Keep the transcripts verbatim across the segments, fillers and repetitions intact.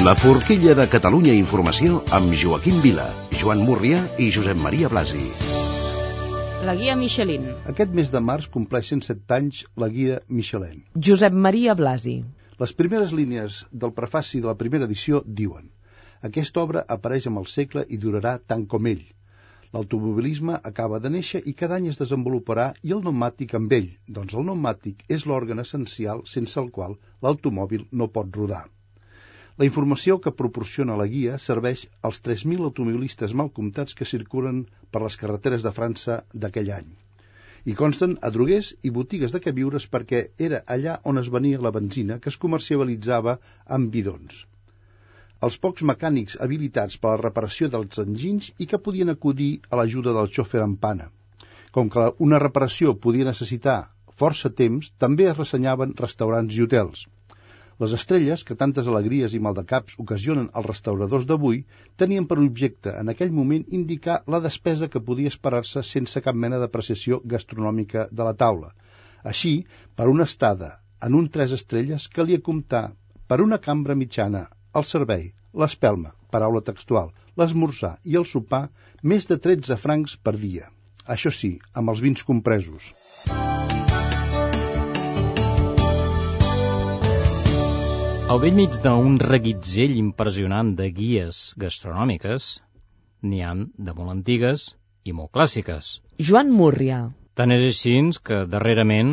La forquilla de Catalunya Informació amb Joaquim Vila, Joan Múrria i Josep Maria Blasi. La guia Michelin. Aquest mes de març compleixen set anys la guia Michelin. Josep Maria Blasi. Les primeres línies del prefaci de la primera edició diuen: aquesta obra apareix amb el segle i durarà tant com ell. L'automobilisme acaba de néixer i cada any es desenvoluparà, i el pneumàtic amb ell, doncs el pneumàtic és l'òrgan essencial sense el qual l'automòbil no pot rodar. La informació que proporciona la guia serveix als tres mil automobilistes mal comptats que circulen per les carreteres de França d'aquell any. Hi consten adroguers i botigues de queviures perquè era allà on es venia la benzina que es comercialitzava amb bidons. Els pocs mecànics habilitats per a la reparació dels enginys i que podien acudir a l'ajuda del xòfer en pana. Com que una reparació podia necessitar força temps, també es ressenyaven restaurants i hotels. Les estrelles, que tantes alegries i maldecaps ocasionen als restauradors d'avui, tenien per objecte en aquell moment indicar la despesa que podia esperar-se sense cap mena d'apreciació gastronòmica de la taula. Així, per una estada en un tres estrelles calia comptar per una cambra mitjana, el servei, l'espelma, paraula textual, l'esmorzar i el sopar, més de tretze francs per dia. Això sí, amb els vins compresos. Al vell mig d'un reguitzell impressionant de guies gastronòmiques, n'hi ha de molt antigues i molt clàssiques. Joan Múrria. Tant és així que darrerament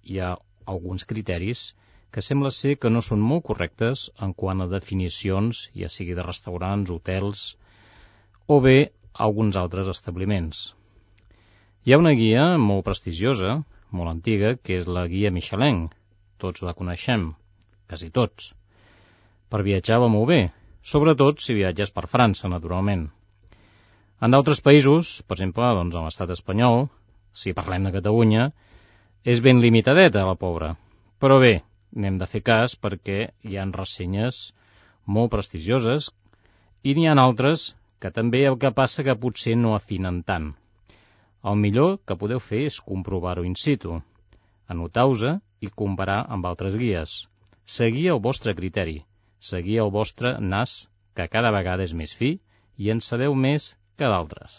hi ha alguns criteris que sembla ser que no són molt correctes en quant a definicions, ja sigui de restaurants, hotels o bé alguns altres establiments. Hi ha una guia molt prestigiosa, molt antiga, que és la guia Michelin. Tots la coneixem, quasi tots. Per viatjar va molt bé, sobretot si viatges per França, naturalment. En d'altres països, per exemple, doncs en l'estat espanyol, si parlem de Catalunya, és ben limitadeta, la pobra. Però bé, n'hem de fer cas perquè hi ha ressenyes molt prestigioses i n'hi ha altres que també el que passa que potser no afinen tant. El millor que podeu fer és comprovar-ho in situ, anotar-vos i comparar amb altres guies. Seguir el vostre criteri, seguir el vostre nas, que cada vegada és més fi i en sabeu més que d'altres.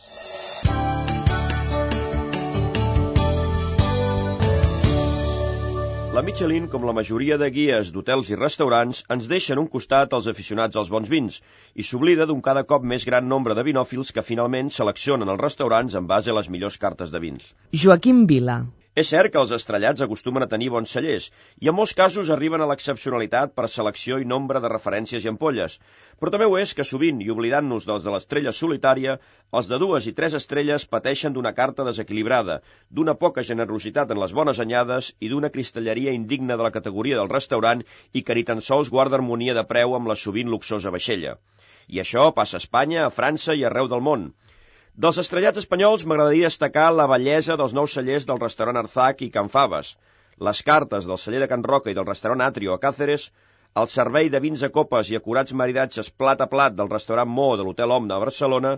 La Michelin, com la majoria de guies d'hotels i restaurants, ens deixa en un costat els aficionats als bons vins i s'oblida d'un cada cop més gran nombre de vinòfils que finalment seleccionen els restaurants en base a les millors cartes de vins. Joaquim Vila. És cert que els estrellats acostumen a tenir bons cellers i en molts casos arriben a l'excepcionalitat per selecció i nombre de referències i ampolles, però també ho és que sovint, i oblidant-nos dels de l'estrella solitària, els de dues i tres estrelles pateixen d'una carta desequilibrada, d'una poca generositat en les bones anyades i d'una cristalleria indigna de la categoria del restaurant i que ni tan sols guarda harmonia de preu amb la sovint luxosa vaixella. I això passa a Espanya, a França i arreu del món. Dels estrellats espanyols m'agradaria destacar la bellesa dels nous cellers del restaurant Arzac i Can Faves, les cartes del celler de Can Roca i del restaurant Atrio a Càceres, el servei de vins a copes i acurats maridatges plat a plat del restaurant Mo de l'Hotel Omna a Barcelona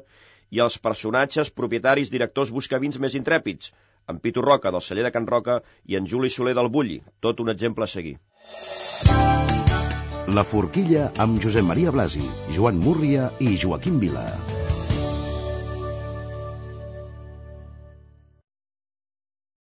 i els personatges, propietaris, directors buscavins més intrèpids, en Pitu Roca del celler de Can Roca i en Juli Soler del Bulli, tot un exemple a seguir. La forquilla amb Josep Maria Blasi, Joan Múrria i Joaquim Vila.